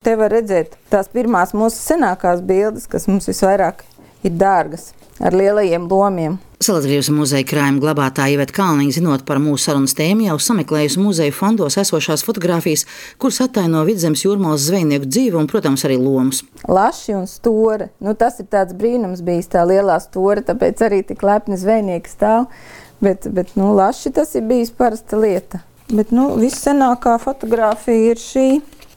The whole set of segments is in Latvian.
Te var redzēt tās pirmās mūsu senākās bildes, kas mums visvairāk ir dārgas, ar lielajiem lomiem. Salatgrības muzeja krājuma glabātāja Iveta Kalniņa, zinot par mūsu sarunas tēmu, jau sameklējusi muzeja fondos esošās fotogrāfijas, kuras attaino Vidzemes jūrmalas zvejnieku dzīvi un, protams, arī lomus. Laši un stori. Tas ir tāds brīnums bijis, tā lielā stora, tāpēc arī tik lepni zvejnieki stāv. Bet laši tas ir bijis parasta lieta. Bet vissenākā fotogrāfija ir šī.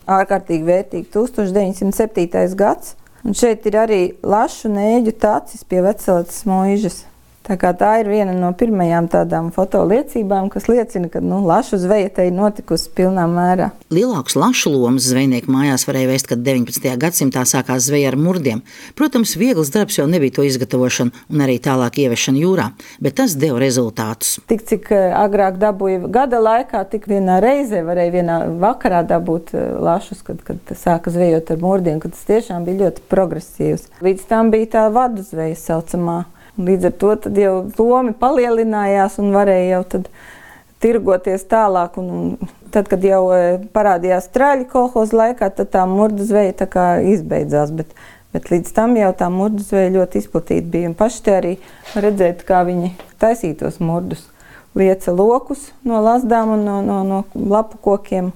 Ārkārtīgi vērtīgi 1907. gads. Un šeit ir arī lašu nēģu tacis pie Vecelatas mūžas. Tā ir viena no pirmajām tādām fotoliecībām, kas liecina, ka lašu zveja te ir notikusi pilnā mērā. Lielākus lašu lomas zvejnieku mājās varēja vēst, kad 19. gadsimtā sākās zveja ar murdiem. Protams, viegls darbs jau nebija to izgatavošana un arī tālāk ievešana jūrā, bet tas deva rezultātus. Tik cik agrāk dabūja gada laikā, tik vienā reizē varēja vienā vakarā dabūt lašus, kad sāka zvejot ar murdiem, kad tas tiešām bija ļoti progresīvs. Līdz tam bija tā vadu zveja saucamā. Līdz ar to tad jau lomi palielinājās un varēja jau tad tirgoties tālāk. Un tad, kad jau parādījās traļi kolhoza laikā, tad tā murdu zveja tā kā izbeidzās. Bet līdz tam jau tā murdu zveja ļoti izplatīta bija. Un paši te arī redzēt, kā viņi taisītos murdus. Lieca lokus no lazdām un no lapu kokiem.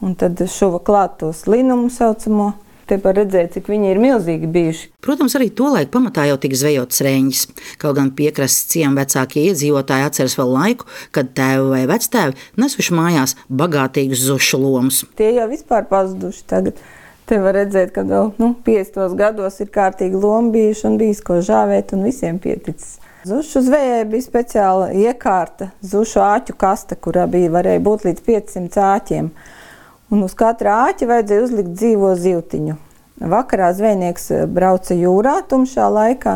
Un tad šuva klāt tos linumu saucamo. Te var redzēt, cik viņi ir milzīgi bijuši. Protams, arī tolaik pamatā jau tika zvejotas reņģis. Kaut gan piekrastes ciemu vecākie iedzīvotāji atceras vēl laiku, kad tēvi vai vectēvi nesuši mājās bagātīgus zušu lomus. Tie jau vispār pazuduši tagad. Te var redzēt, ka vēl 50. gados ir kārtīgi lomi bijuši un bijis ko žāvēt un visiem pieticis. Zušu zvejai bija speciāla iekārta, zušu āķu kaste, kurā varēja būt līdz 500 āķiem. Un uz katra āķa vajadzēja uzlikt dzīvo zivtiņu. Vakarā zvejnieks brauca jūrā tumšā laikā.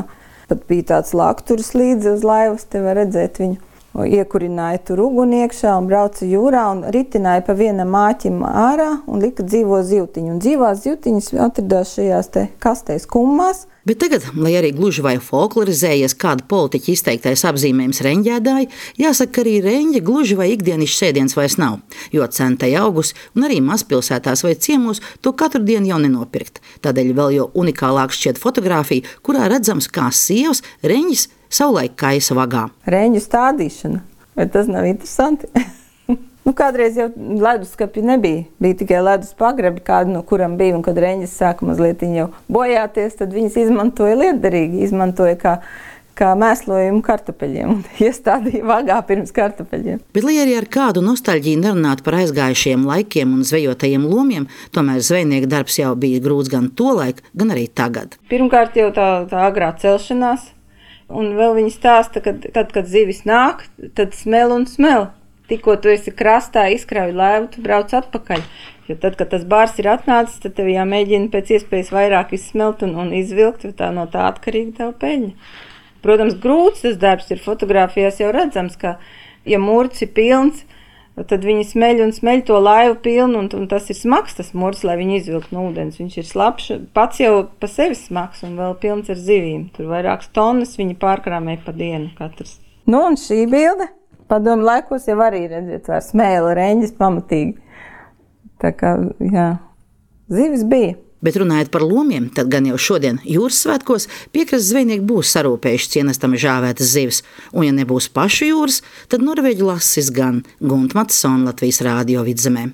Pat bija tāds lakturis līdzi uz laivas, te var redzēt viņu. Iekurināja tur uguni iekšā un brauca jūrā un ritināja pa vienam āķim ārā un lika dzīvo zivtiņu. Un dzīvās zivtiņas atradās šajās te kastēs kummās. Bet tagad, lai arī gluži vai folklorizējies kāda politiķa izteiktais apzīmējums reņģēdāji, jāsaka, ka arī reņģe gluži vai ikdienišs sēdiens vairs nav, jo cena tai augusi un arī mazpilsētās vai ciemos to katru dienu jau nenopirkt. Tādēļ vēl jau unikālāk šķiet fotogrāfija, kurā redzams, kā sievas reņģis savulaik kaisa vagā. Reņģu stādīšana, vai tas nav interesanti? Kādreiz jau leduskapi nebija. Bija tikai ledus pagrabi, kādu no kuram bija, un kad reņģis sāka mazliet jau bojāties, tad viņas izmantoja lietderīgi, izmantoja kā mēslojumu kartupeļiem un iestādīja vagā pirms kartupeļiem. Bet, lai arī ar kādu nostalģiju nerunātu par aizgājušajiem laikiem un zvejotajiem lomiem, tomēr zvejnieka darbs jau bija grūts gan tolaik, gan arī tagad. Pirmkārt jau tā agrā celšanās, un vēl viņi stāsta, ka tad, kad zivis nāk, tad smel un smel. Tikko tu esi krastā, izkrauj laivu, tu brauc atpakaļ. Jo tad, kad tas bārs ir atnācis, tad tev jāmēģina pēc iespējas vairāk izsmelt un izvilkt, jo tā no tā atkarīga tava peļņa. Protams, grūts tas darbs ir, fotogrāfijās jau redzams, ka, ja murts ir pilns, tad viņi smeļ un smeļ to laivu pilnu, un tas ir smags tas murts, lai viņi izvilkt no ūdens. Viņš ir slapš, pats jau pa sevi smags un vēl pilns ar zivīm. Tur vairākas tonnas viņi pārkrāmē pa dienu katrs. Un šī bilde. Padomu laikos jau arī redzēt, var smēla reņģis pamatīgi. Tā kā, zivis bija. Bet runājot par lomiem, tad gan jau šodien jūras svētkos piekrastes zvejnieki būs sarūpējuši cienestami žāvētas zivis. Un ja nebūs pašu jūras, tad norvēģu lasis gan. Gunta Matsona, Latvijas Rādio Vidzemē.